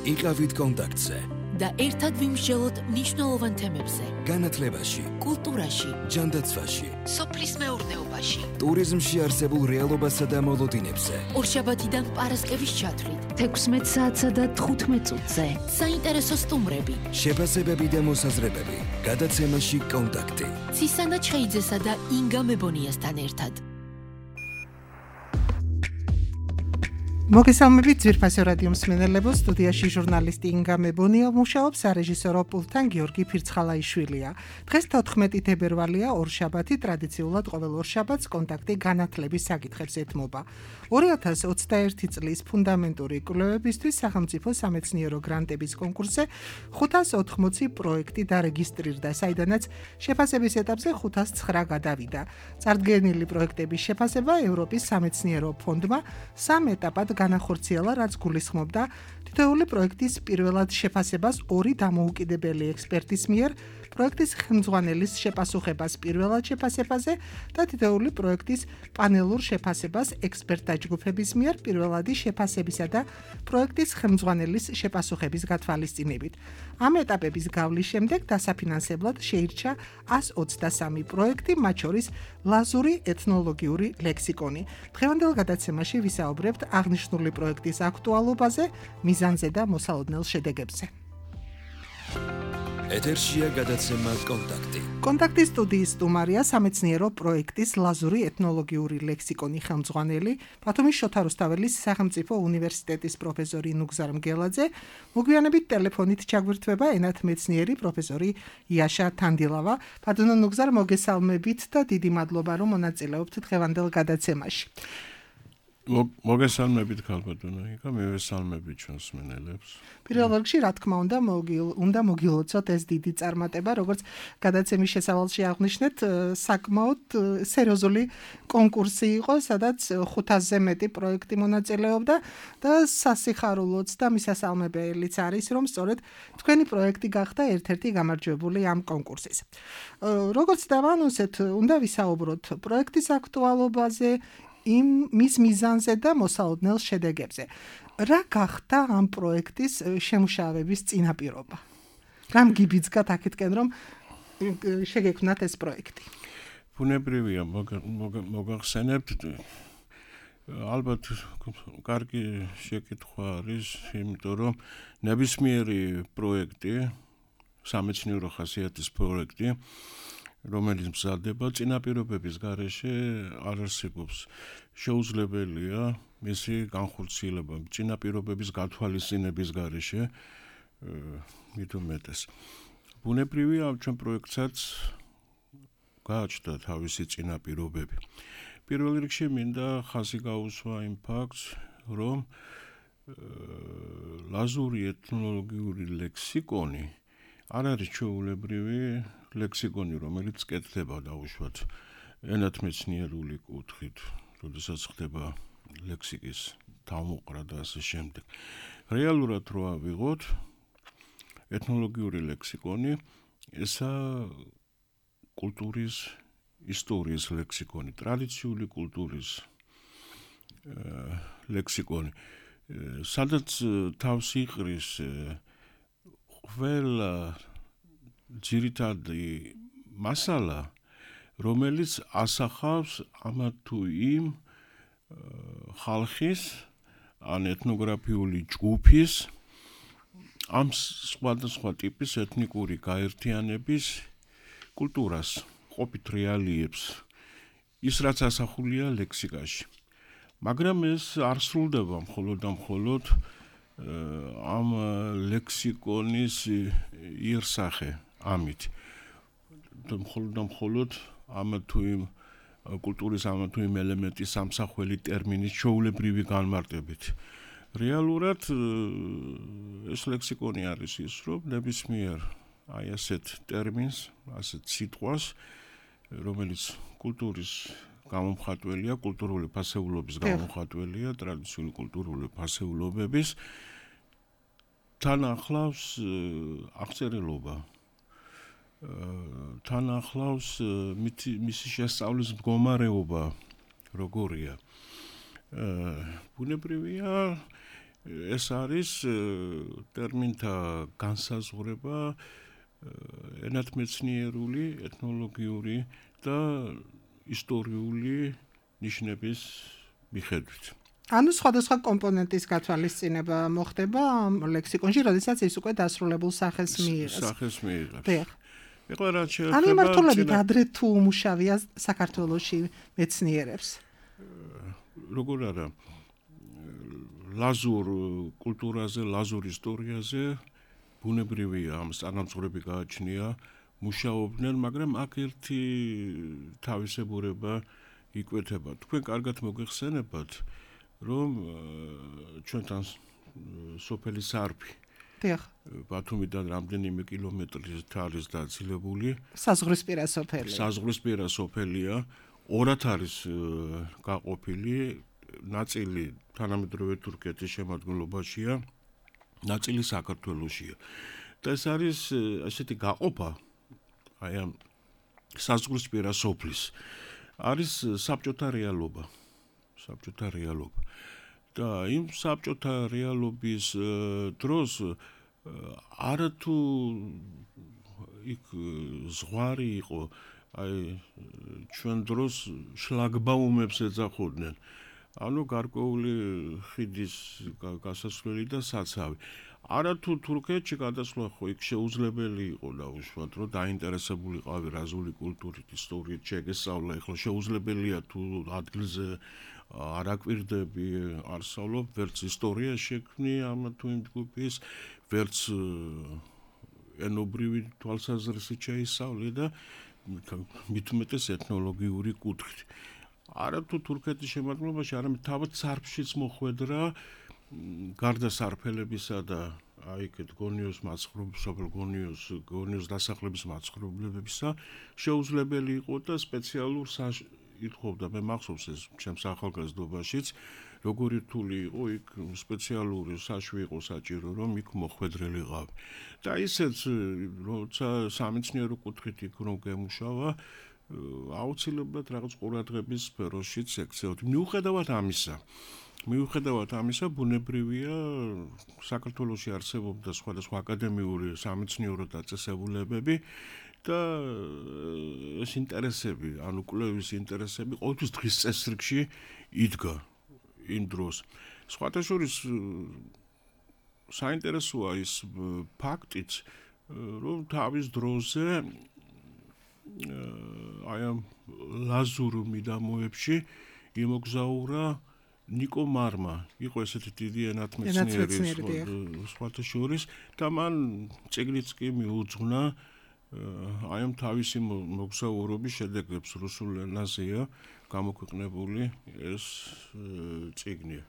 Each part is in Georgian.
იყავით კონტაქტზე და ერთად ვიმსჯელოთ მნიშვნელოვან თემებზე. განათლებაში, კულტურაში, ჯანდაცვაში, სოფლის მეურნეობაში, ტურიზმში არსებულ რეალობასა და მოლოდინებზე. ორშაბათიდან პარასკევის ჩათვლით 16 საათსა და 15 წუთზე. საინტერესო სტუმრები, შეფასებები და მოსაზრებები. გადაცემაში კონტაქტი. ცისანა ჩხეიძესა და ინგა მებონიასთან ერთად. მოგესალმებით ძვირფასო რადიო მსმენელებო, სტუდიაში ჟურნალისტი ინგა მებონია, მუშაობს სარეჟისორო პულტთან გიორგი ფირცხალაიშვილია. დღეს 14 თებერვალია, ორშაბათი, ტრადიციულად ყოველ ორშაბათს კონტაქტი განათლების საკითხებს ეთმობა. 2021 წლის ფუნდამენტური კვლევებისთვის სახელმწიფო სამეცნიერო გრანტების კონკურსზე 580 პროექტი დარეგისტრირდა, საიდანაც შეფასების ეტაპზე 509 გადავიდა. წარდგენილი პროექტების შეფასება ევროპის სამეცნიერო ფონდმა 3 ეტაპად განახორციელა, რაც გულისხმობდა თითოეული პროექტის პირველად შეფასებას 2 დამოუკიდებელი ექსპერტის მიერ, პროექტის ხელმძღვანელის შეპასუხებას პირველად შეფასებაზე და თითოეული პროექტის პანელურ შეფასებას ექსპერტთა ჯგუფების მიერ პირველადი შეფასებისა და პროექტის ხელმძღვანელის შეპასუხების გათვალისწინებით. ამ ეტაპების გავლის შემდეგ დასაფინანსებლად შეირჩა 123 პროექტი, მათ შორის ლაზური ეთნოლოგიური ლექსიკონი. დღევანდელ გადაცემაში ვისაუბრებთ აღნიშნული პროექტის აქტუალობაზე, მიზანზე და მოსალოდნელ შედეგებზე. ეთერშია გადაცემა კონტაქტი. კონტაქტის სტუდიის სტუმარია სამეცნიერო პროექტის ლაზური ეთნოლოგიური ლექსიკონი ხელმძღვანელი, ბათუმის შოთა რუსთაველის სახელმწიფო უნივერსიტეტის პროფესორი ნუგზარ მგელაძე. მოგვიანებით ტელეფონით ჩაგვირთვება ენათმეცნიერი პროფესორი იაშა თანდილავა. ბატონო ნუგზარ, მოგესალმებით და დიდი მადლობა, რომ მონაწილეობთ დღევანდელ გადაცემაში. მოგესალმებით ქალბატონო იკა, მივესალმებით ჩვენს მსმენელებს. პირველ რიგში, რა თქმა უნდა მოგილოცოთ ეს დიდი წარმატება, როგორც გადაცემის შესავალში აღნიშნეთ, საკმაოდ სერიოზული კონკურსი იყო, სადაც 500-ზე მეტი პროექტი მონაწილეობდა და სასიხარულოც და მისასალმებელიც არის, რომ სწორედ თქვენი პროექტი გახდა ერთ-ერთი გამარჯვებული ამ კონკურსის. როგორც დავანონსეთ, უნდა ვისაუბროთ პროექტის აქტუალობაზე, მის მიზანზე და მოსალოდნელ შედეგებზე. რა გახდა ამ პროექტის შემუშავების წინაპირობა? რამ გიბიძგათ აქეთკენ, რომ შეგექმნათ ეს პროექტი? ბუნებრივია, მოგახსენებთ, ალბათ კარგი შეკითხვა არის, იმიტომ რომ ნებისმიერი პროექტი, სამეცნიერო ხასიათის პროექტი, რომელიც მზადდება წინაპირობების გარეშე არ არსებობს. შეუძლებელია მისი განხორციელება წინაპირობების გათვალისწინების გარეშე, მით უმეტეს. ბუნებრივია, ჩვენ პროექტსაც გააჩნდა თავისი წინაპირობები. პირველ რიგში მინდა ხაზი გაუსვა იმ ფაქტს, რომ ლაზური ეთნოლოგიური ლექსიკონი არ არის ჩვეულებრივი ლექსიკონი, რომელიც კეთდება დაუშვათ ენათმეცნიერული კუთხით, როდესაც ხდება ლექსიკის თავმოყრა და ასე შემდეგ. რეალურად რო ავიღოთ, ეთნოლოგიური ლექსიკონი ესა კულტურის ისტორიის ლექსიკონი, ტრადიციული კულტურის ლექსიკონი, სადაც თავს იყრის ყველა ძირითადი მასალა, რომელიც ასახავს ამა თუ იმ ხალხის ან ეთნოგრაფიული ჯგუფის ამ სხვადასხვა ტიპის ეთნიკური გაერთიანების კულტურას, ყოფით რეალიებს, ის რაც ასახულია ლექსიკაში. მაგრამ ეს არ სრულდება მხოლოდ და მხოლოდ ამ ლექსიკონის იერსახე ამით. მხოლოდ და მხოლოდ ამა თუ იმ კულტურის ამა თუ იმ ელემენტის სამსახველი ტერმინის ჩვეულებრივი განმარტებით. რეალურად ეს ლექსიკონი არის ის, რომ ნებისმიერ აი ასეთ ტერმინს, ასეთ სიტყვას, რომელიც კულტურის გამომხატველია, კულტურული ფასეულობის გამომხატველია, ტრადიციული კულტურული ფასეულობების თან ახლავს აღწერილობა, თან ახლავს მისი შესწავლის მდგომარეობა, როგორია. ბუნებრივია, ეს არის ტერმინთა განსაზღვრება ენათმეცნიერული, ეთნოლოგიური და ისტორიული ნიშნების მიხედვით. ანუ სხვადასხვა კომპონენტის გათვალისწინება მოხდება ამ ლექსიკონში, როდესაც ის უკვე დასრულებულ სახეს მიიღებს. სახეს მიიღებს. დიახ. ეხლა რაც ანუ შეეხება იმართულებით ადრე თუ უმუშავია საქართველოში მეცნიერებს. როგორ არა ლაზურ კულტურაზე, ლაზურ ისტორიაზე ბუნებრივია ამ სტანამწვრები გააჩნია, მუშაობდნენ, მაგრამ აქ ერთი თავისებურება იკვეთება. თქვენ კარგად მოგეხსენებათ, რომ ჩვენთან სოფელი სარფი დიახ. ბათუმიდან რამდენიმე კილომეტრით არის დაცილებული. საზღვრისპირა სოფელი. საზღვრისპირა სოფელია, ორად არის გაყოფილი, ნაწილი თანამედროვე თურქეთის შემადგენლობაშია, ნაწილი საქართველოშია. და ეს არის ასეთი გაყოფა აი ამ საზღვრისპირა სოფლის არის საბჭოთა რეალობა. საბჭოთა რეალობა. და იმ საბჭოთა რეალობის დროს არათუ იქ ზღვარი იყო, აი ჩვენ დროს შლაგბაუმებს ეძახოდნენ. ანუ გარკვეული ხიდის გასასვლელი და საცავი. არათუ თურქეთში გადასვლა ხო იქ შეუძლებელი იყო დაუშვათ, რომ დაინტერესებულიყავი რაზული კულტურით, ისტორიით შეგესწავლა, ეხლა შეუძლებელია თუ ადგილზე არ აკვირდები, არ სწავლობ, ვერც ისტორია შექმნი ამ თუ იმ ჯგუფის, ვერც ენობრივი თვალსაზრისით შეისწავლე და მით უმეტეს ეთნოლოგიური კუთხით. არათუ თურქეთის შემადგენლობაში, არამედ თავად სარფშიც მოხვედრა, გარდა სარფელებისა და აი ეგეთ გონიოს მაცხოვრებლებს, გონიოს დასახლების მაცხოვრებლებისა, შეუძლებელი იყო და სპეციალურ ითხოვდა, მე მახსოვს ეს ჩემს ახალგაზრდობაშიც, როგორი რთული იყო იქ სპეციალური საშვი იყო საჭირო, რომ იქ მოხვედრილიყავი. და ისეც, როცა სამეცნიერო კუთხით იქ რომ გემუშავა, აუცილებლად რაღაც ყურადღების სფეროშიც ექცეოდი. მიუხედავად ამისა, ბუნებრივია საქართველოში არსებობდა სხვადასხვა აკადემიური სამეცნიერო დაწესებულებები და ეს ინტერესები, ანუ კვლევის ინტერესები ყოველთვის დღის წესრიგში იდგა იმ დროს. სხვათა შორის საინტერესოა ის ფაქტიც, რომ თავის დროზე აი ამ ლაზურ მიდამოებში იმოგზაურა ნიკო მარმა, იყო ესეთი დიდი ენათმეცნიერი სხვათა შორის და მან წიგნიც კი მიუძღვნა აი ამ თავისი მოგზაურობის შედეგებს რუსულ ენაზეა გამოქვეყნებული ეს წიგნი.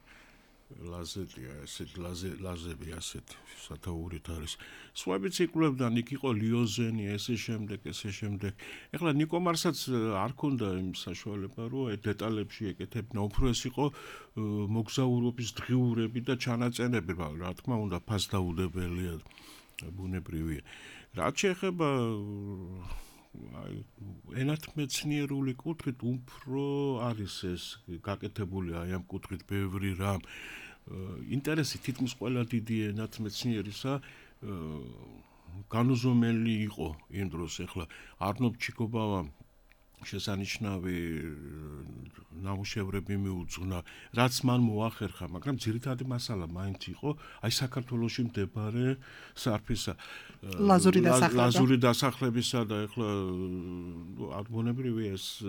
ლაზეტია, ესეთი ლაზები ასეთი სათაურით არის. სხვაებიც იკვლევდნენ, იქ იყო ლიოზენი, ესე შემდეგ. ეხლა ნიკო მარსაც არ ქონდა იმ საშუალება, რომ აი დეტალებში ეკეთებინა, უფრო ეს იყო მოგზაურობის დღიურები და ჩანაწერები, რა თქმა უნდა, ფასდაუდებელია, ბუნებრივია. რაც შეეხება აი ენათმეცნიერული კუთხით უფრო არის ეს გაკეთებული აი ამ კუთხით ბევრი რამ. ინტერესი თითქმის ყველა დიდი ენათმეცნიერისა განუზომელი იყო იმ დროს. ეხლა არნოლდ ჩიკობავამ შესანიშნავი ნამუშევრები მიუძღვნა, რაც მან მოახერხა, მაგრამ ძირითადი მასალა მაინც იყო აი საქართველოში მდებარე სარფისა ლაზური დასახლებისა და ეხლა ბუნებრივია ეს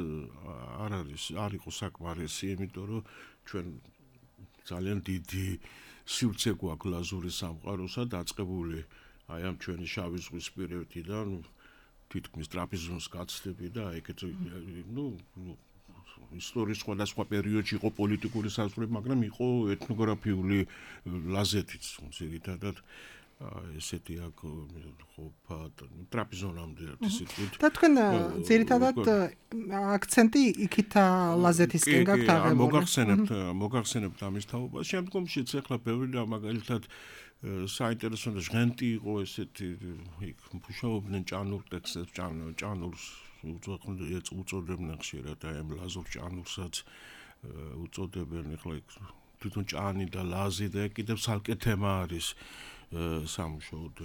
არ იყო საკმარისი, იმიტომ რომ ჩვენ ძალიან დიდი სივრცე გვაქვს ლაზური სამყაროსა დაწყებული აი ამ ჩვენი შავი ზღვის პირეთიდან თითქმის ტრაპიზონის გაცდები და ეგეთ ისტორიის სხვადასხვა პერიოდში იყო პოლიტიკური საზღვრები, მაგრამ იყო ეთნოგრაფიული ლაზეთიც, ძირითადად ესეთი აქ ყოფა ტრაპიზონამდე ისეთ. და თქვენ ძირითადად აქცენტი იქითა ლაზეთისკენ გაქვთ აღებული. მოგახსენებთ ამის თაობას. შემდგომშიც ახლა ბევრი და მაგალითად საინტერესო და ჟღენტი იყო ესეთი იქ მუშაობდნენ ჭანურ ტექსტებს, ჭანურს უწოდებდნენ ხშირად აი ამ ლაზურ ჭანურსაც უწოდებენ. ეხლა იქ თვითონ ჭანი და ლაზი და კიდევ ცალკე თემა არის სამუშაოდ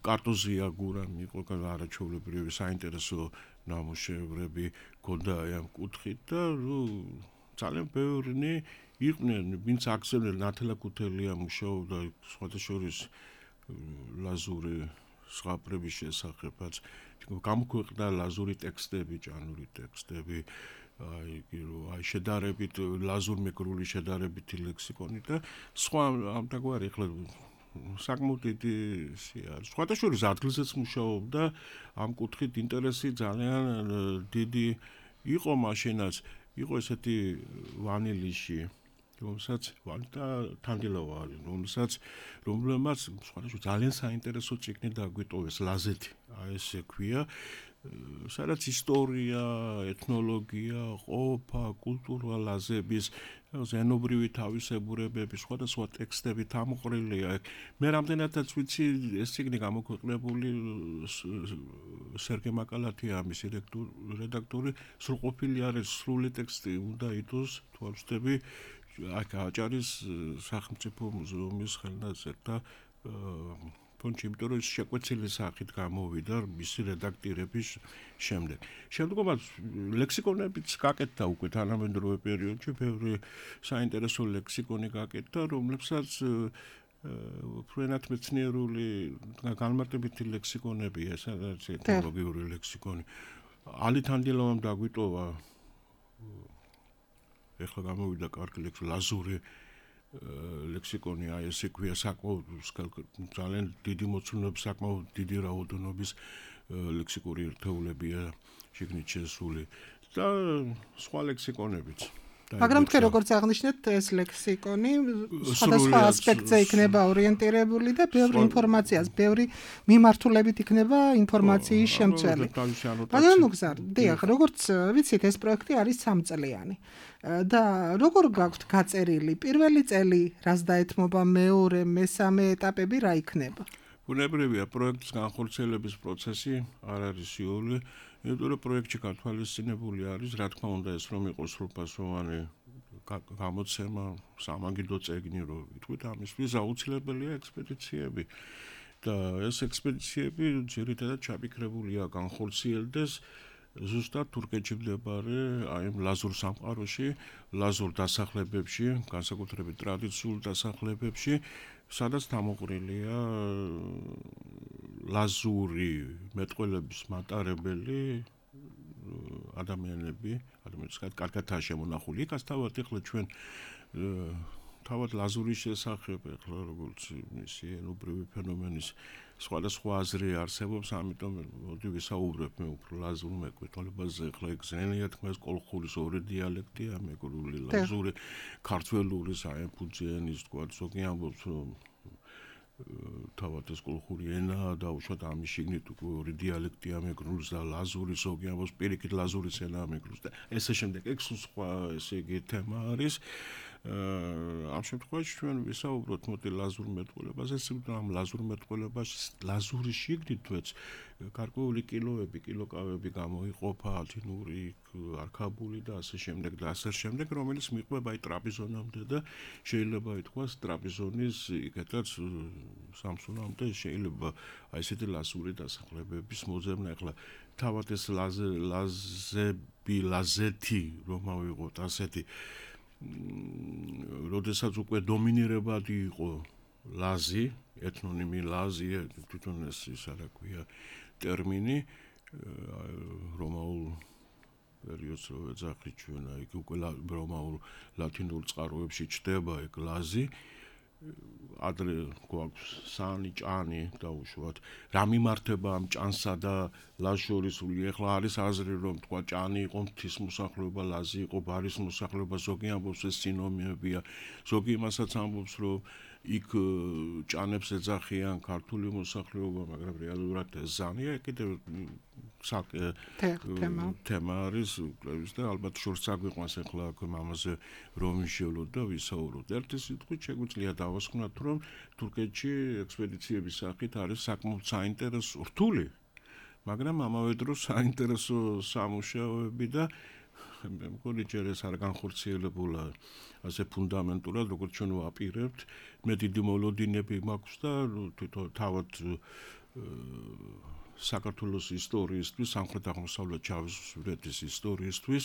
კარტოზია გურამ იყო არაჩვეულებრივი საინტერესო ნამუშევრები ქონდა ამ კუთხით და ძალიან ბევრი იყვნენ ვინც აქცევდნენ ნათელა ქუთელია მუშაობდა სხვადასხვა ლაზური ზღაპრების შესახებაც გამოქვეყნდა ლაზური ტექსტები ჭანური ტექსტები აი შედარებით ლაზურ-მეგრული შედარებითი ლექსიკონი და სხვა ამგვარი ახლა საკმაოდ დიდი არის. სხვადასხვა ადგილზეც მუშაობდა ამ კუთხით ინტერესი ძალიან დიდი იყო მაშინაც იყო ესეთი ვანილიში რომელსაც ვანტა თანდილავა არის რომელმაც სხვადასხვა ძალიან საინტერესო წიგნი დაგვიტოვეს ლაზეთი აი ესე ქვია სადაც ისტორია, ეთნოლოგია, ყოფა, კულტურა ლაზების ზენობრივი თავისებურებები, სხვადასხვა ტექსტები თამოყრილია. მე რამდენადაც ვიცი, ეს წიგნი გამოქვეყნებული სერგე მაკალათია ამის რედაქტორი, სრულყოფილი არის სრული ტექსტი, უნდა ითოს თვალწდები აქ აჭარის სახელმწიფო მუზეუმის ხელნაწერ და ფონდში, იმიტომ რომ შეკვეცილი სახით გამოვიდა მისი რედაქტირების შემდეგ. შემდგომად ლექსიკონებიც გაკეთდა უკვე თანამედროვე პერიოდში, ბევრი საინტერესო ლექსიკონი გაკეთდა, რომლებსაც ფრენათმეცნიერული განმარტებითი ლექსიკონებია, სადაც ეთნოლოგიური ლექსიკონი. ალი თანდილოვამ დაგვიტოვა ეხლა გამოვიდა კარგი ლაზური ლექსიკონი აი ესე ქვია საკმაოდ ძალიან დიდი მოცულობის საკმაოდ დიდი რაოდენობის ლექსიკური ერთეულებია შეგნით შესული და სხვა ლექსიკონებიც მაგრამ თქვენ როგორც აღნიშნეთ ეს ლექსიკონი სხვადასხვა ასპექტზე იქნება ორიენტირებული და ბევრი ინფორმაციას, ბევრი მიმართულებით იქნება ინფორმაციის შემცველი. მაგრამ მოგზარ, დიახ, როგორც ვიცით ეს პროექტი არის 3 წლიანი. და როგორ გაქვთ გაწერილი პირველი წელი, რას დაეთმობა მეორე, მესამე ეტაპები რა იქნება? ბუნებრივია პროექტის განხორციელების პროცესი არ არის სრული, იმიტომ რომ პროექტში გათვალისწინებული არის, რა თქმა უნდა, ეს რომ იყოს სრულფასოვანი გამოცემა, სამაგიდო წიგნი, რომ ვიტყვით, ამისთვის აუცილებელია ექსპედიციები. და ეს ექსპედიციები ძირითადად ჩაფიქრებულია განხორციელდეს ზუსტად თურქეთში მდებარე აი ლაზურ სამყაროში, ლაზურ დასახლებებში, განსაკუთრებით ტრადიციულ დასახლებებში, სადაც თამოყრილია ლაზური მეტყველების მატარებელი ადამიანები, ადამიანებსაც კარგადაა შემონახული. იქაც თავად ეხლა ჩვენ თავად ლაზურის შესახებ ეხლა როგორც მისი ენობრივი ფენომენის სხვადასხვა აზრი არსებობს, ამიტომ მოდი ვისაუბრებ მე უფრო ლაზურ მეკუთვნებაზე. ეხლა ეგზენია თქმა ეს კოლხურის ორი დიალექტია, მეგრული ლაზური, ქართველური საემფუძიანის თქვა, ზოგი ამბობს რომ თავად ეს კოლხური ენა და უშუალოდ ამის შიგნით უკვე ორი დიალექტია მეგრულის და ლაზური, ზოგი ამბობს პირიქით ლაზურის ენა მეგრულის და ესე შემდეგ ეგ სხვა ესე იგი თემა არის. ამ შემთხვევაში ჩვენ ვისაუბროთ მოდი ლაზურ მეტყველებაზე, ამ ლაზურ მეტყველებაში ლაზურის შიგნით თვეც გარკვეული კილოები, კილოკავები გამოიყოფა ათინური, არქაბული და ასე შემდეგ და ასე შემდეგ, რომელიც მიყვება აი ტრაპიზონამდე და შეიძლება ითქვას ტრაპიზონის იქეთაც სამსუნამდე შეიძლება აი ესეთი ლაზური დასახლებების მოძებნა. ეხლა თავად ეს ლაზეთი რომ ავიღოთ ასეთი როდესაც უკვე დომინირებადი იყო ლაზი, ეთნონიმი ლაზი, თვითონ ეს რა ქვია ტერმინი რომაულ პერიოდს რო ეძახით ჩვენ, აი უკვე რომაულ ლათინურ წყაროებში ჩდება ეგ ლაზი. ადრე გვაქვს სანი, ჭანი დაუშვათ. რა მიმართება ამ ჭანსა და ლაზს შორის? ეხლა არის აზრი რომ თქვა ჭანი იყო მთის მოსახლეობა, ლაზი იყო ბარის მოსახლეობა, ზოგი ამბობს ეს სინონიმებია, ზოგი იმასაც ამბობს რომ იქ ჭანებს ეძახიან ქართული მოსახლეობა, მაგრამ რეალურად ეს ზანია, კიდევ თემა არის კვლევის და ალბათ შორს აგვიყვანს ეხლა აქ ამაზე რომ ვიშევლოთ და ვისაუბროთ. ერთი სიტყვით შეგვიძლია დავასკვნათ რომ თურქეთში ექსპედიციების სახით არის საკმაოდ საინტერესო რთული, მაგრამ ამავე დროს საინტერესო სამუშაოები და მე მგონი ჯერ ეს არ განხორციელებულა ასე ფუნდამენტურად, როგორც ჩვენ ვაპირებთ. მე დიდი მოლოდინები მაქვს და თავად საქართველოს ისტორიისთვის, სამხრეთ-აღმოსავლეთ ჩავისვრეთის ისტორიისთვის,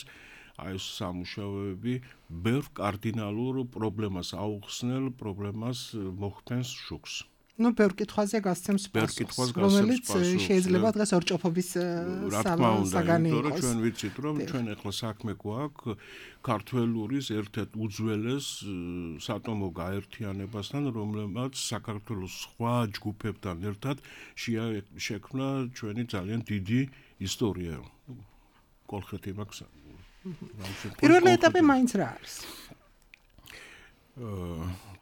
აი ეს სამუშაოები ბევრ კარდინალურ პრობლემას აუხსნელ, პრობლემას მოხდენს შუქს. ნუ ბევრ კითხვაზე გასცემს პასუხს, რომელიც შეიძლება დღეს ორჭოფობის საგანი იყოს. ჩვენ ვიცით, რომ ჩვენ ახლა საქმე გვაქვს ქართველურის ერთ-ერთ უძველეს სატომო გაერთიანებასთან, რომელმაც საქართველოს სხვა ჯგუფებთან ერთად შექმნა ჩვენი ძალიან დიდი ისტორია. კოლხეთი მაქვს. პირველი ეტაპი მაინც რა არის?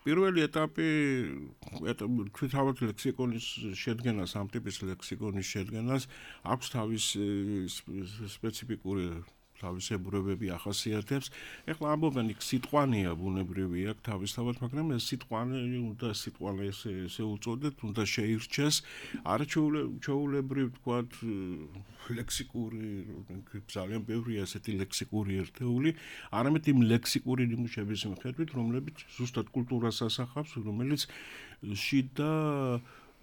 პირველი ეტაპი თავად ლექსიკონის შედგენას, ამ ტიპის ლექსიკონის შედგენას აქვს თავისი სპეციფიკური თავისებურებები ახასიათებს. ეხლა ამბობენ იქ სიტყვანია ბუნებრივია თავისთავად, მაგრამ ეს სიტყვანი უნდა სიტყვანი ესე უწოდეთ, უნდა შეირჩეს არაჩვეულებრივ თქვათ ლექსიკური, ძალიან ბევრია ესეთი ლექსიკური ერთეული, არამედ იმ ლექსიკური ნიმუშების მიხედვით, რომლებიც ზუსტად კულტურას ასახავს, რომელიც შიდა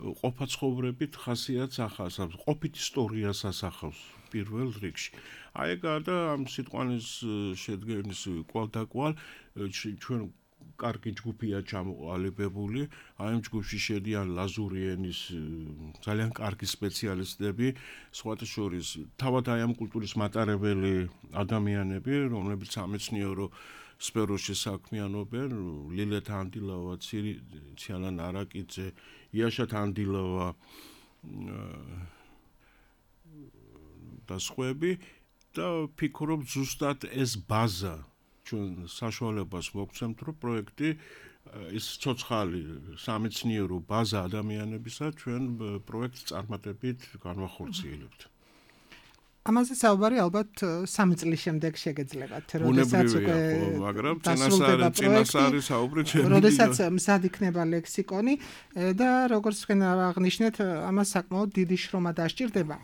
ყოფაცხოვრებით ხასიათს ახასავს, ყოფით ისტორიას ასახავს პირველ რიგში. აი გარდა ამ სიტყვანის შედგენის კვალდაკვალ ჩვენ კარგი ჯგუფია ჩამოყალიბებული, აი ამ ჯგუფში შედიან ლაზური ენის ძალიან კარგი სპეციალისტები, სხვათა შორის თავად აი ამ კულტურის მატარებელი ადამიანები, რომლებიც სამეცნიერო სფეროში საქმიანობენ, ლილეთ ანდილავა, ციანან არაკიძე, იაშათ ანდილავა და სხვები და ფიქრობ ზუსტად ეს ბაზა ჩვენ საშუალებას მოგცემთ, რომ პროექტი ის ცოცხალი სამეცნიერო ბაზა ადამიანებისა ჩვენ პროექტს წარმატებით განვახორციელებთ. ამაზე საუბარი ალბათ 3 წლის შემდეგ შეგეძლებათ, როდესაც უკვე მაგრამ წინასწარი საუბრი ჩემი. როდესაც მზად იქნება ლექსიკონი და როგორც თქვენ აღნიშნეთ, ამას საკმაოდ დიდი შრომა დასჭირდება.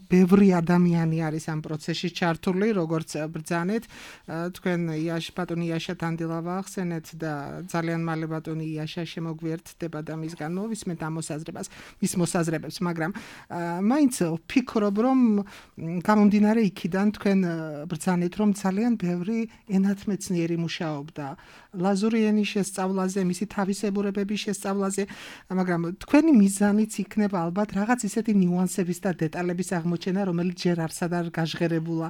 ბევრი ადამიანი არის ამ პროცესში ჩართული, როგორც ბრძანეთ, თქვენ ბატონი იაშა თანდილავა ახსენეთ და ძალიან მალე ბატონი იაშა შემოგვიერთდება და მისგან მოვისმენთ ამ მის მოსაზრებებს, მაგრამ მაინც ვფიქრობ, რომ გამომდინარე იქიდან თქვენ ბრძანეთ, რომ ძალიან ბევრი ენათმეცნიერი მუშაობდა ლაზური ენის შესწავლაზე, მისი თავისებურებების შესწავლაზე, მაგრამ თქვენი მიზანიც იქნება ალბათ რაღაც ისეთი ნიუანსების და დეტალების აღმოჩენა, რომელიც ჯერ არსად არ გაჟღერებულა,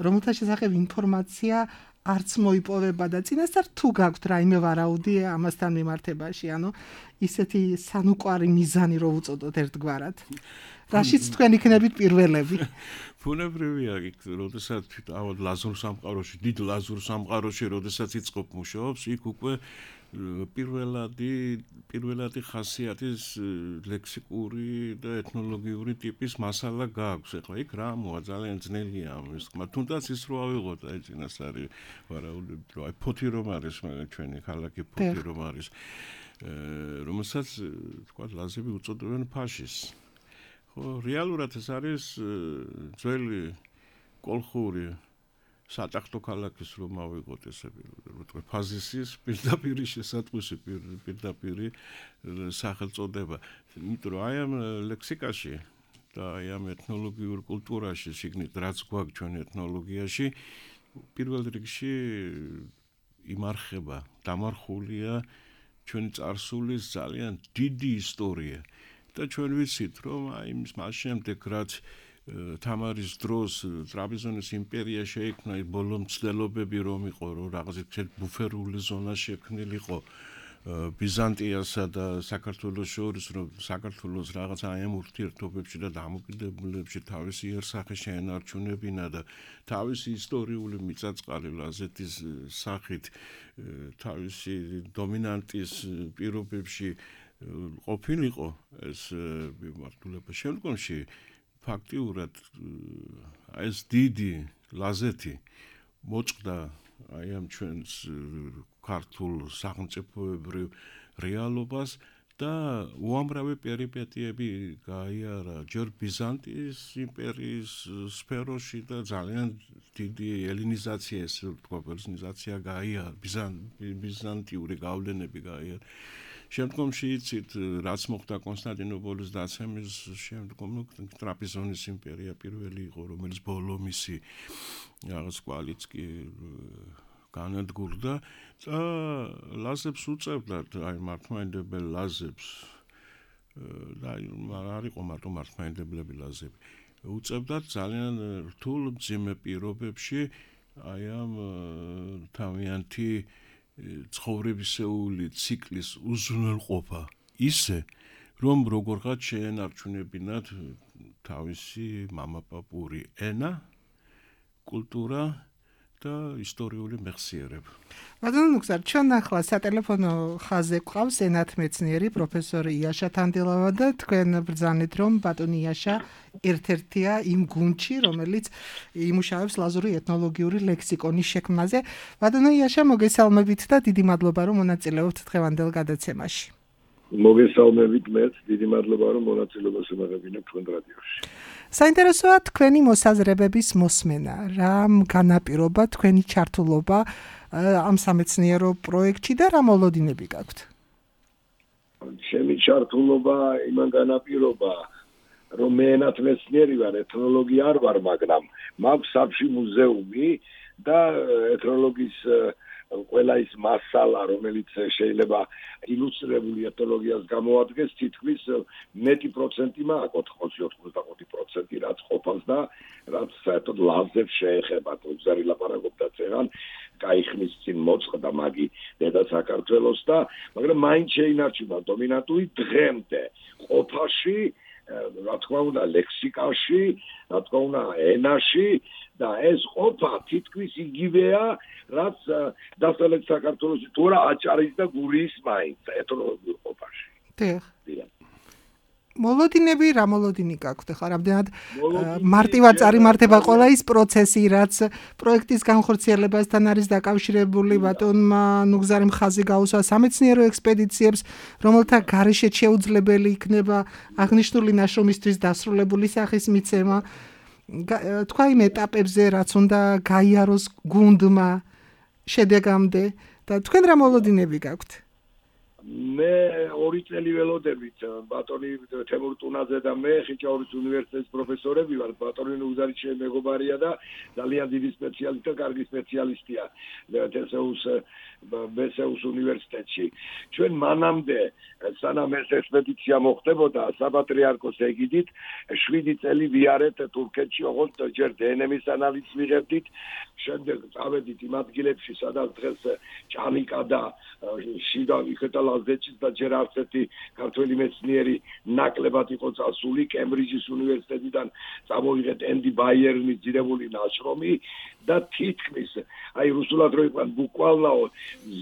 რომელთა შესახებ ინფორმაცია არც მოიპოვება და წინასწარ თუ გაქვთ რაიმე ვარაუდი ამასთან მიმართებაში, ანუ ისეთი სანუკვარი მიზანი რო უწოდოთ ერთგვარად. რაშიც თქვენ იქნებით პირველები. ბუნებრივია, როდესაც თავად ლაზურ სამყაროში, დიდ ლაზურ სამყაროში, როდესაც იწყობ მუშაობს, იქ უკვე პირველადი ხასიათის ლექსიკური და ეთნოლოგიური ტიპის მასალა გააქვს. ეხლა იქ რა მოა ძალიან ძნელია ამის თქმა, თუნდაც ის რო ავიღოთ აი წინასწარი ვარაუდები, რომ აი ფოთი რომ არის ჩვენი ქალაქი ფოთი რომ არის, რომელსაც თქვა ლაზები უწოდებენ ფაშის. ხო, რეალურად ეს არის ძველი კოლხური სატახტო ქალაქის რომ ავიღოთ ესე ფაზისის პირდაპირი შესატყვისი პირდაპირი სახელწოდება. იმიტომ რომ აი ამ ლექსიკაში და აი ამ ეთნოლოგიურ კულტურაში, შიგნით რაც გვაქვს ჩვენ ეთნოლოგიაში, პირველ რიგში იმარხება, დამარხულია ჩვენი წარსულის ძალიან დიდი ისტორია. და ჩვენ ვიცით, რომ აი მას შემდეგ რაც თამარის დროს ტრაპიზონის იმპერია შეიქმნა, ბოლო მცდელობები რომ იყო, რომ რაღაც ბუფერული ზონა შექმნილიყო ბიზანტიასა და საქართველოს შორის, რომ საქართველოს რაღაც აი ამ ურთიერთობებში და დამოკიდებულებში თავისი იერსახე შეენარჩუნებინა და თავისი ისტორიული მიწაწყალი ლაზეთის სახით თავისი დომინანტის პირობებში ყოფილიყო ეს მიმართულება. შემდგომში ფაქტიურად ეს დიდი ლაზეთი მოწყდა აი ამ ჩვენს ქართულ სახელმწიფოებრივ რეალობას და უამრავი პერიპეტიები გაიარა ჯერ ბიზანტიის იმპერიის სფეროში და ძალიან დიდი ელინიზაცია, ესე ვთქვა, პერსონიზაცია გაიარა, ბიზანტიური გავლენები გაიარა. შემდგომში იცით, რაც მოხდა კონსტანტინოპოლის დაცემის შემდგომ, ტრაპიზონის იმპერია პირველი იყო, რომელიც ბოლო მისი რაღაც კვალიც კი განადგურდა და ლაზებს უწევდათ, აი მართლმადიდებელ ლაზებს და არ იყო მარტო მართლმადიდებლები ლაზები. უწევდათ ძალიან რთულ მძიმე პირობებში აი ამ თავიანთი ცხოვრებისეული ციკლის უზრუნველყოფა ისე, რომ როგორღაც შეენარჩუნებინათ თავისი მამაპაპური ენა, კულტურა და ისტორიული მეხსიერება. ბატონო ნუგზარ, ჩვენ ახლა სატელეფონო ხაზზე გვყავს ენათმეცნიერი პროფესორი იაშა თანდელავა და თქვენ ბრძანეთ, რომ ბატონი იაშა ერთ-ერთია იმ გუნდში, რომელიც იმუშავებს ლაზური ეთნოლოგიური ლექსიკონის შექმნაზე. ბატონო იაშა, მოგესალმებით და დიდი მადლობა, რომ მონაწილეობთ დღევანდელ გადაცემაში. მოგესალმებით მეც, დიდი მადლობა, რომ მონაწილეობას ემაღებინებ თქვენ რადიოში. საინტერესოა თქვენი მოსაზრებების მოსმენა, რამ განაპირობა თქვენი ჩართულობა ამ სამეცნიერო პროექტში და რა მოლოდინები გაქვთ? ჩემი ჩართულობა იმან განაპირობა, რომ მე ენათმეცნიერი ვარ, ეთნოლოგი არ ვარ, მაგრამ მაქვს საფში მუზეუმი და ეთნოლოგიის ყველა ის მასალა, რომელიც შეიძლება ილუსტრირებული ეთნოლოგიას გამოადგენს, თითქმის მეტი პროცენტი მაქვს, 85% რაც ყოფას და რაც საერთოდ ლაზებს შეეხება. უზარი ლაპარაკობდა წეგან, გაიხმის წინ მოწყდა მაგი დედა საქართველოს და მაგრამ მაინც შეინარჩუნა დომინანტური დღემდე ყოფაში, რა თქმა უნდა ლექსიკაში, რა თქმა უნდა ენაში და ეს ყოფა თითქმის იგივეა, რაც დასავლეთ საქართველოში თუ რა აჭარის და გურიის მაინც ეთნოლოგიურ ყოფაში. დიახ. მოლოდინები რა მოლოდინი გაქვთ ხა რამდენად მარტივად წარიმართება ყველა ის პროცესი, რაც პროექტის განხორციელებასთან არის დაკავშირებული, ბატონმა ნუგზარიმ ხაზი გაუსვა სამეცნიერო ექსპედიციებს, რომელთა გარეშეც შეუძლებელი იქნება აღნიშნული ნაშრომისთვის დასრულებული სახის მიცემა. თქვა იმ ეტაპებზე, რაც უნდა გაიაროს გუნდმა შედეგამდე და თქვენ რა მოლოდინები გაქვთ? მე 2 წელი ველოდებით ბატონი თემურ ტუნაძე და მე ხიჭაურის უნივერსიტეტის პროფესორები ვართ. ბატონი ნუგზარი ჩემი მეგობარია და ძალიან დიდი სპეციალისტი და კარგი სპეციალისტია მესეუს უნივერსიტეტში. ჩვენ მანამდე სანამ ეს ექსპედიცია მოხდებოდა საპატრიარქოს ეგიდით 7 წელი ვიარეთ თურქეთში, ოღონდ ჯერ დნმ-ის ანალიზს ვიღებდით, შემდეგ წავედით იმ ადგილებში, სადაც დღეს ჭანიკა და შიდა ვიხეთა ლაზეთშიც და ჯერ არც ერთი ქართველი მეცნიერი ნაკლებად იყო წასული. კემბრიჯის უნივერსიტეტიდან წამოვიღეთ ენდი ბაიერნის ძირებული ნაშრომი და თითქმის აი რუსულად რო იყვან ბუკვალნაო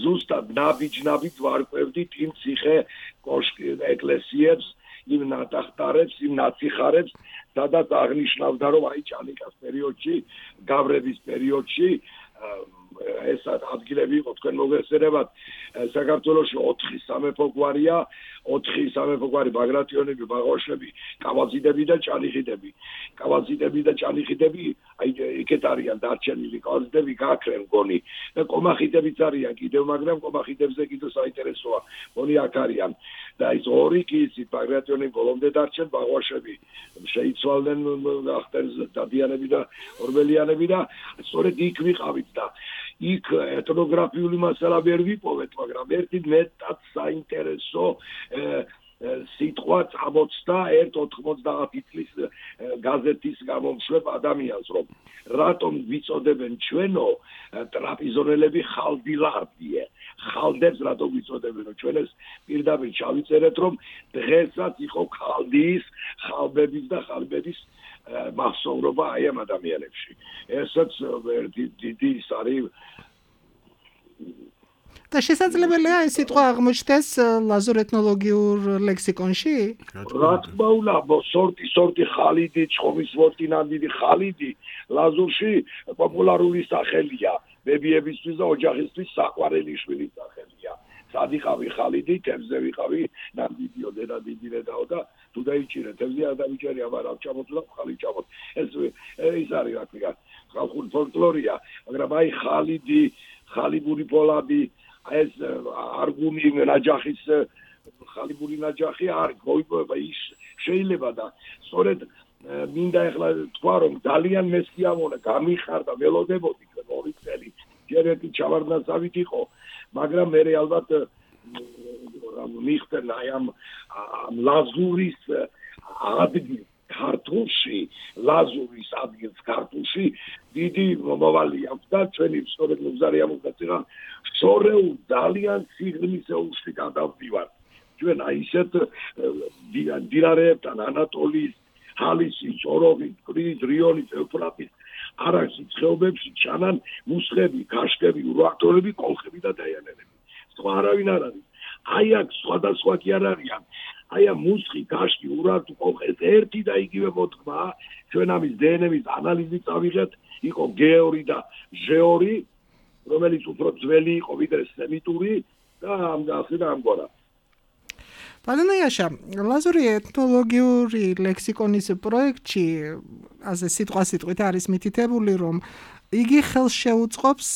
ზუსტად ნაბიჯ-ნაბიჯ ვარკვევდით იმ ციხე კოშკი ეკლესიებს, იმ ნატახტარებს, იმ ნაციხარებს, სადაც აღნიშნავდა, რომ აი ჭანიკას პერიოდში, გავრების პერიოდში ეს ადგილები იყო, თქვენ მოგესწრებათ, საქართველოში 4 სამეფო გვარია, 4 სამეფო გვარი, ბაგრატიონები, ბაღოშები, კავაზიდები და ჭანიხიდები. კავაზიდები და ჭანიხიდები, აი იქეთ არიან დარჩენილი, კავაზიდები გაქრენ გონი და კომახიდებიც არიან კიდევ, მაგრამ კომახიდებზე კიდევ საინტერესოა, გონი აქ არიან. და ის 2 კი იცით, ბაგრატიონები ბოლომდე დარჩენ, ბაღოშები შეიცვალნენ, ახტენს დადიანები და ორბელიანები და სწორედ იქ ვიყავით და იქ ეთნოგრაფიული მასალა ვერ ვიპოვეთ, მაგრამ ერთი მეტად საინტერესო სიტყვა წამოწდა 1-90 წლის გაზეთის გამომშვებ ადამიანს, რომ რატომ ვიწოდებენ ჩვენო ტრაპიზონელები ხალდილარდიე. ხალდებს რატომ ვიწოდებენ? ჩვენ ეს პირდაპირ ჩავიწერეთ, რომ დღესაც იყო ხალდიის, ხალბების და ხალბების მახსოვრობა აი ამ ადამიანებში. ესაც დიდი ის არის და შესაძლებელია ეს სიტყვა აღმოჩნდეს ლაზურ ეთნოლოგიურ ლექსიკონში? რა თქმა უნდა, სორტი ხალიდი, ჭხომის ვორტინანდი ხალიდი ლაზურში პოპულარული სახელია. ბებიებისთვის და ოჯახისთვის საყვარელი შვილი სახელია. სად იყავი ხალიდი, თევზზე ვიყავი, ნამდვილი ოდენა დიდი დედაო და თუ დაიჭირე თევზი არ დავიჭერია, მაგრამ ჩამოწვა ხალი ჩამოთ. ეს არის რა ქვია, ხალხური ფოლკლორია, მაგრამ აი ხალიდი, ხალიბური პოლაბი, ეს არგუნი ნაჯახის ხალიბური ნაჯახი არ მოიპოვება ის შეიძლება და სწორედ მინდა ეხლა თქვა რომ ძალიან მესიამონა გამიხარდა ველოდებოდი 2 წელი ჯერ ერთი ჩავარდნასავით იყო მაგრამ მე ალბათ მიხდენ აი ამ ლაზურის ადგილ ქართულში ლაზურის ადგილ ქართულში დიდი მომავალი აქვს და ჩვენი სწორედ მუზარი ამოგაწია სწორედ ძალიან სიღრმისეულში გადავდივარ ჩვენ აი ისეთ დინარეებთან ანატოლიის ჰალისის, ოროვის, კრის, რიონის, ევფრატის არაქსის ხეობებში ჩანან მუსხები, ქაშკები, ურვაქტორები, კოლხები და დაიანერები. სხვა არავინ არ არის. აი აქ სხვადასხვა კი არ არიან. აი ამ მუსხი, ქაშკი, ურვაქტორი, კოლხი ერთი და იგივე მოთქმა ჩვენ ამის დნმ-ის ანალიზით წავიღეთ, იყო გეორი და ჟეორი, რომელიც უფრო ძველი იყო ვიდრე სემიტური და ამგვარად. Pardon, Iasha, ლაზური ეთნოლოგიური ლექსიკონის პროექტში, ასე სიტყვასიტყვით არის მითითებული, რომ იგი ხელს შეუწყობს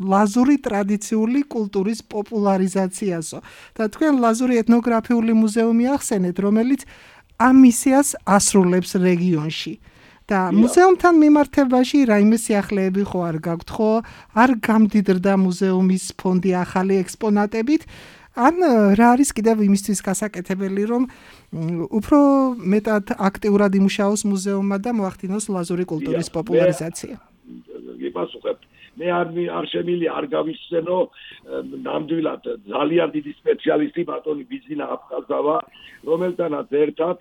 ლაზური ტრადიციული კულტურის პოპულარიზაციასო. და თქვენ ლაზური ეთნოგრაფიული მუზეუმი ახსენეთ, რომელიც ამ მისიას ასრულებს რეგიონში. და მუზეუმთან მიმართებაში რაიმე სიახლეები ხო არ გაქვთ, ხო? არ გამდიდრდა მუზეუმის ფონდი ახალი ექსპონატებით? ან რა არის კიდევ იმისთვის გასაკეთებელი, რომ უფრო მეტად აქტიურად იმუშაოს მუზეუმმა და მოახდინოს ლაზური კულტურის პოპულარიზაცია? გიპასუხებ. მე არ შემილი არ გავიხსენო ნამდვილად ძალიან დიდი სპეციალისტი ბატონი ბიზინა აფხაზავა, რომელთანაც ერთად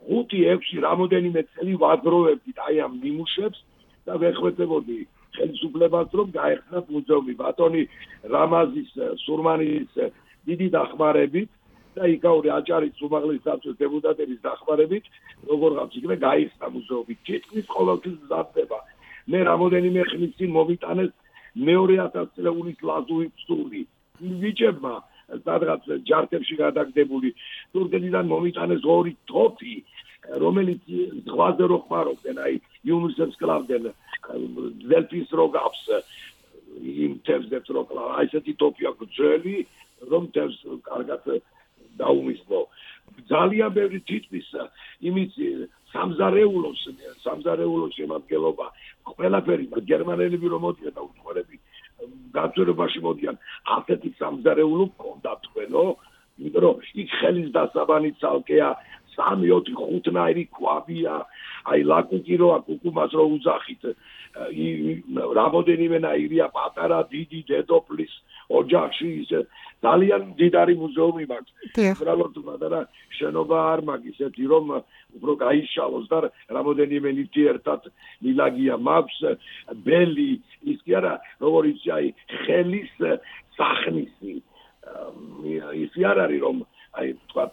5-6 რამოდენიმე წელი ვაგროვებდით აი ამ ნიმუშებს და ვეხვეწებოდი ხელისუფლებას რომ გაეხსნათ მუზეუმი ბატონი რამაზის სურმანის დიდი დახმარებით და იკაური აჭარის უმაღლესი საბჭოს დეპუტატების დახმარებით როგორღაც იქნება გაიხსნა მუზეუმი თითქმის ყოველთვის მზადდება მე რამოდენიმე ხნის წინ მომიტანეს მეორე 1000 წლეულის ლაზური ფსული ვიჭებმა სადღაც ჯარდებში გადაგდებული თურქეთიდან მომიტანეს 2 თოფი რომელიც ზღვაზე რო ხმარობდნენ აი იუნისებს კლავდნენ დელფის როგავს იმ თევზებს რო კლავ აი ესეთი თოფი აქვს ძველი რომ თევზს კარგად დაუმისლო ძალიან ბევრი თითქმის იმის სამზარეულოს შემადგენლობა ყველაფერი გერმანელები რომ მოდიან და უცხოელები გაძვირებაში მოდიან ასეთი სამზარეულო მქონდა თქვენო იმიტომ რომ იქ ხელის დასაბანი ცალკეა 3-4-5 ნაირი ქვაბია აი ლაკუკი რო აკუკუმას რო უძახით რამოდენიმე ნაირია პატარა დიდი დედოფლის ოჯახში ის ძალიან დიდარი მუზეუმი მაქვს. უბრალოდ პატარა შენობა არ მაქვს ისეთი რომ უფრო გაიშალოს და რამოდენიმე ნივთი ერთად მილაგია მაქვს ბელი ის კი არა როგორიც აი ხელის სახნისი ის არ არის რომ აი თქვა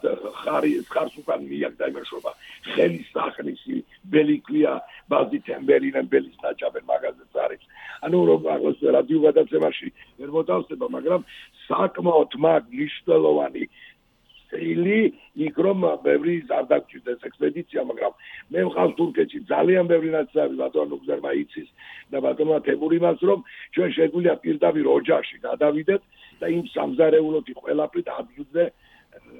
ხარს უკან მიაკდა იმაშობა ხელის სახნისი ბელი ქვია ბაზი თემბერინე ბელის ნაჭაბენ მაგაზეც არის ანუ რომ აღოს რადიო გადაცემაში ვერ მოთავსება მაგრამ საკმაოდ მნიშვნელოვანი სილი იქ რომ ბევრი არ დაგჭირდეს ექსპედიცია მაგრამ მე ვყავს თურქეთში ძალიან ბევრი ნაცნობი ბატონო გზერმა იცის და ბატონმა თემურიმას რომ ჩვენ შეგვიძლია პირდაპირ ოჯახში გადავიდეთ და იმ სამზარეულოთი ყველაფრით ადგილზე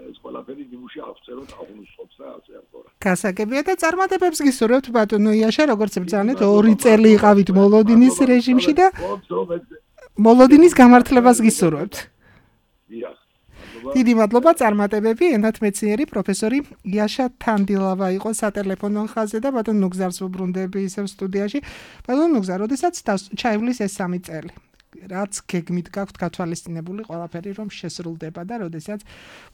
ეს ყველაფერი ნიმუში აღწეროთ აღნიშნოთ და ასე ამბობ. გასაგებია და წარმატებებს გისურვებთ ბატონო იაშა, როგორც ბრძანეთ 2 წელი იყავით მოლოდინის რეჟიმში და მოლოდინის გამართლებას გისურვებთ. დიდი მადლობა წარმატებები, ენათმეცნიერი პროფესორი იაშა თანდილავა იყო სატელეფონო ხაზზე და ბატონ ნუგზარს ვუბრუნდები ისევ სტუდიაში. ბატონ ნუგზარ, როდესაც ჩაივლის ეს 3 წელი რაც გეგმით გაქვთ გათვალისწინებული ყველაფერი რომ შესრულდება და როდესაც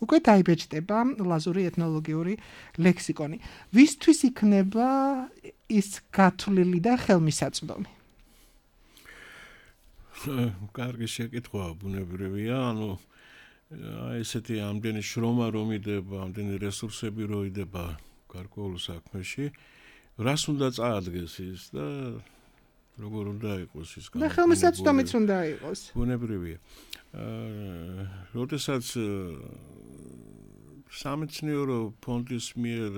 უკვე დაიბეჭდება ლაზური ეთნოლოგიური ლექსიკონი. ვისთვის იქნება ის გათვლილი და ხელმისაწვდომი? კარგი შეკითხვა, ბუნებრივია, ანუ ესეთი ამდენი შრომა რომ იდება, ამდენი რესურსები რომ იდება გარკვეულ საქმეში, რას უნდა წაადგეს ის და როგორ უნდა იყოს ის და ხელმისაწვდომიც უნდა იყოს. ბუნებრივია. როდესაც სამეცნიერო ფონდის მიერ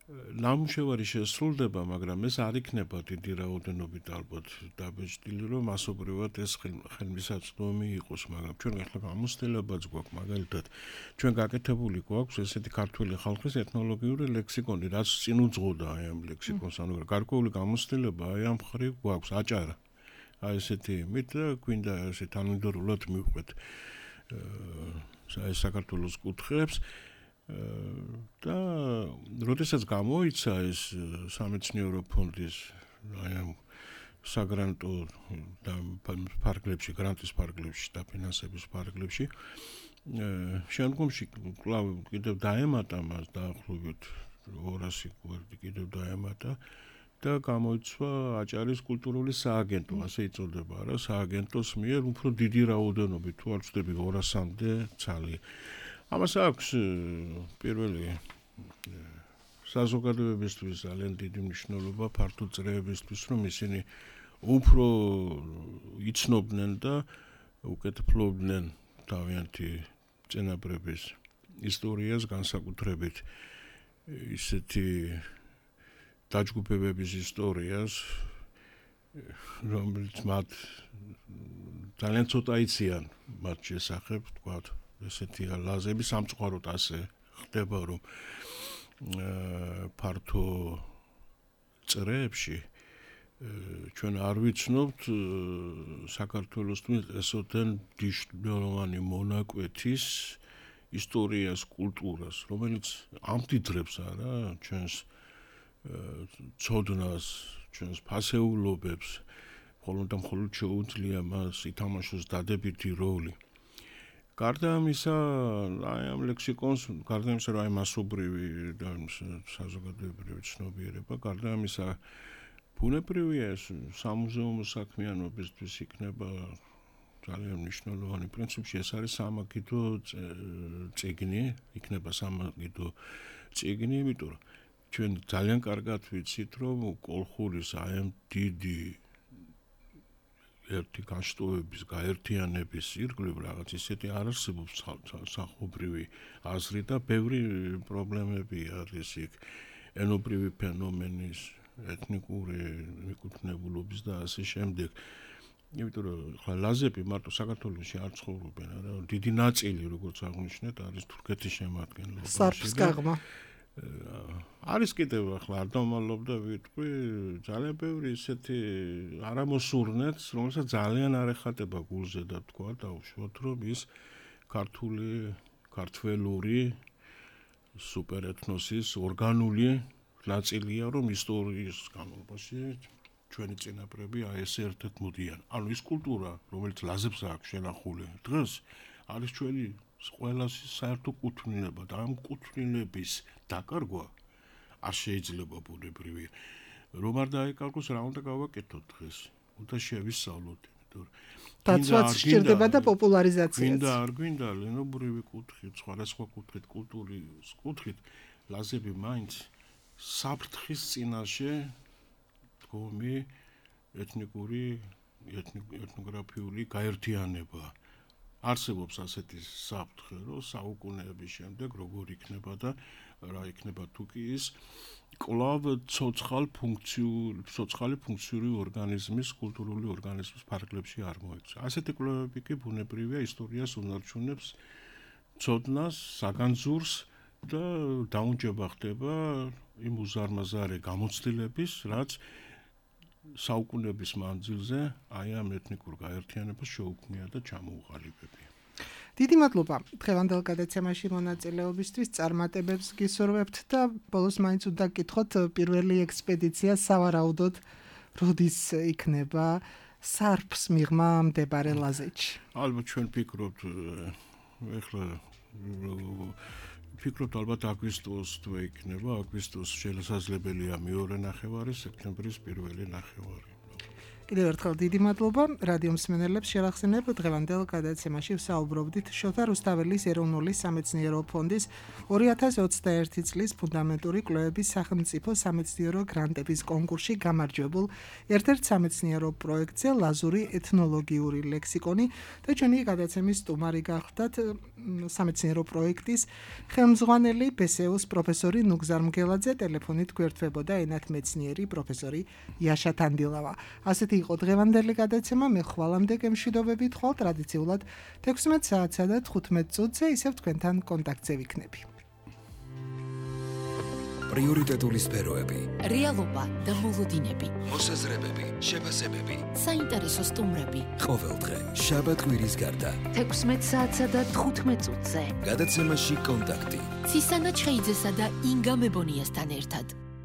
ნამუშევარი შესრულდება, მაგრამ ეს არ იქნება დიდი რაოდენობით ალბათ დაბეჭდილი, რომ მასობრივად ეს ხელმისაწვდომი იყოს, მაგრამ ჩვენ ახლა გამოცდილებაც გვაქვს, მაგალითად, ჩვენ გაკეთებული გვაქვს ესეთი ქართული ხალხის ეთნოლოგიური ლექსიკონი, რაც წინ უძღოდა აი ამ ლექსიკონს, ანუ გარკვეული გამოცდილება აი ამ მხრივ გვაქვს, აჭარა. აი ესეთი იმით და გვინდა ესე თანმიმდევრულად მივყვეთ საქართველოს კუთხეებს. და როდესაც გამოიცა ეს სამეცნიერო ფონდის აი ამ საგრანტო და ფარგლებში, გრანტის ფარგლებში და ფინანსების ფარგლებში შემდგომში კვლავ კიდევ დაემატა მას დაახლოებით 200 გვერდი კიდევ დაემატა და გამოიწვა აჭარის კულტურული სააგენტო, ასე იწოდება რა, სააგენტოს მიერ უფრო დიდი რაოდენობით, თუ არ ვცდები 200-მდე ცალი. ამას აქვს პირველი საზოგადოებისთვის ძალიან დიდი მნიშვნელობა ფართო წრეებისთვის, რომ ისინი უფრო იცნობდნენ და უკეთფლობდნენ თავიანთი წინაპრების ისტორიას, განსაკუთრებით ისეთი დაჯგუფებების ისტორიას, რომელიც მათ ძალიან ცოტა იციან მათ შესახებ, თქვათ ესეთი ლაზები სამწუხაროდ ასე ხდება, რომ ფართო წრეებში ჩვენ არ ვიცნობთ საქართველოსთვის ესოთენ მნიშვნელოვანი მონაკვეთის ისტორიას, კულტურას, რომელიც ამდიდრებს არა ჩვენს ცოდნას, ჩვენს ფასეულობებს, მხოლოდ და მხოლოდ შეუძლია მას ითამაშოს დადებითი როლი. გარდა ამისა, აი ამ ლექსიკონს, გარდა ამისა, რომ აი მასობრივი და საზოგადოებრივი ცნობიერება, გარდა ამისა, ბუნებრივია ეს სამუზეუმო საქმიანობისთვის იქნება ძალიან მნიშვნელოვანი. პრინციპში ეს არის სამაგიდო წიგნი, იქნება სამაგიდო წიგნი, იმიტომ რომ ჩვენ ძალიან კარგად ვიცით, რომ კოლხურის აი ამ დიდი ერთი განშტოების, გაერთიანების ირგვლივ რაღაც ისეთი არ არსებობს სახობრივი აზრი და ბევრი პრობლემები არის იქ, ენობრივი ფენომენის, ეთნიკური მიკუთვნებულობის და ასე შემდეგ. იმიტომ რომ ხა ლაზები მარტო საქართველოში არ ცხოვრობენ, არა, დიდი ნაწილი, როგორც აღნიშნეთ, არის თურქეთის შემადგენლობაში. სარფსკაღმა. არის კიდევ ახლა არ დავმალობ და ვიტყვი ძალიან ბევრი ისეთი არამოსურნეც, რომელსაც ძალიან არ ეხატება გულზე და თქვა დაუშვოთ, რომ ის ქართველური სუპერეთნოსის ორგანული ნაწილია, რომ ისტორიის განმავლობაში ჩვენი წინაპრები აი ესე ერთად მოდიან. ანუ ის კულტურა, რომელიც ლაზებს აქვს შენახული დღეს, არის ჩვენი ყველას საერთო კუთვნილება და ამ კუთვნილების დაკარგვა არ შეიძლება ბუნებრივია. რომ არ დაიკარგოს, რა უნდა გავაკეთოთ დღეს? უნდა შევისწავლოთ, იმიტომ რომ დაცვაც სჭირდება და პოპულარიზაციაც. გვინდა არ გვინდა ლენობრივი კუთხით, სხვადასხვა კუთხით, კულტურის კუთხით, ლაზები მაინც საფრთხის წინაშე დგომი ეთნოგრაფიული გაერთიანება. არსებობს ასეთი საფრთხე, რომ საუკუნეების შემდეგ როგორ იქნება და რა იქნება თუ კი ის კვლავ ცოცხალი ფუნქციური ორგანიზმის, კულტურული ორგანიზმის ფარგლებში არ მოექცა. ასეთი კვლევები კი ბუნებრივია ისტორიას უნარჩუნებს ცოდნას, საგანძურს და დაუნჯება ხდება იმ უზარმაზარი გამოცდილების, რაც საუკუნეების მანძილზე აი ამ ეთნიკურ გაერთიანებას შეუქმნია და ჩამოუყალიბებია. დიდი მადლობა დღევანდელ გადაცემაში მონაწილეობისთვის, წარმატებებს გისურვებთ და ბოლოს მაინც უნდა გკითხოთ პირველი ექსპედიცია სავარაუდოდ როდის იქნება სარფს მიღმა მდებარე ლაზეთში. ალბათ ჩვენ ფიქრობთ ეხლა ალბათ აგვისტოს თუ იქნება, აგვისტოს შესაძლებელია მეორე ნახევარი, სექტემბრის პირველი ნახევარი. კიდევ ერთხელ დიდი მადლობა რადიო მსმენელებს შევახსენებ დღევანდელ გადაცემაში ვსაუბრობდით შოთა რუსთაველის ეროვნული სამეცნიერო ფონდის 2021 წლის ფუნდამენტური კვლევების სახელმწიფო სამეცნიერო გრანტების კონკურსში გამარჯვებულ ერთ-ერთ სამეცნიერო პროექტზე ლაზური ეთნოლოგიური ლექსიკონი და ჩვენი გადაცემის სტუმარი გახლდათ სამეცნიერო პროექტის ხელმძღვანელი ბესეუს პროფესორი ნუგზარ მგელაძე ტელეფონით გვერდთვებოდა ენათ მეცნიერი პროფესორი იაშა თანდილავა. ასეთი იყო დღევანდელი გადაცემა. მე ხვალამდე გემშვიდობებით ხვალ ტრადიციულად 16 საათსა და 15 წუთზე ისევ თქვენთან კონტაქტზე ვიქნები. პრიორიტეტული სფეროები, რეალობა და მოლოდინები, მოსაზრებები, შეფასებები, საინტერესო სტუმრები. ყოველდღე შაბათ-კვირის გარდა 16 საათსა და 15 წუთზე. გადაცემაში კონტაქტი. ცისანა ჩხეიძესა და ინგა მებონიასთან ერთად.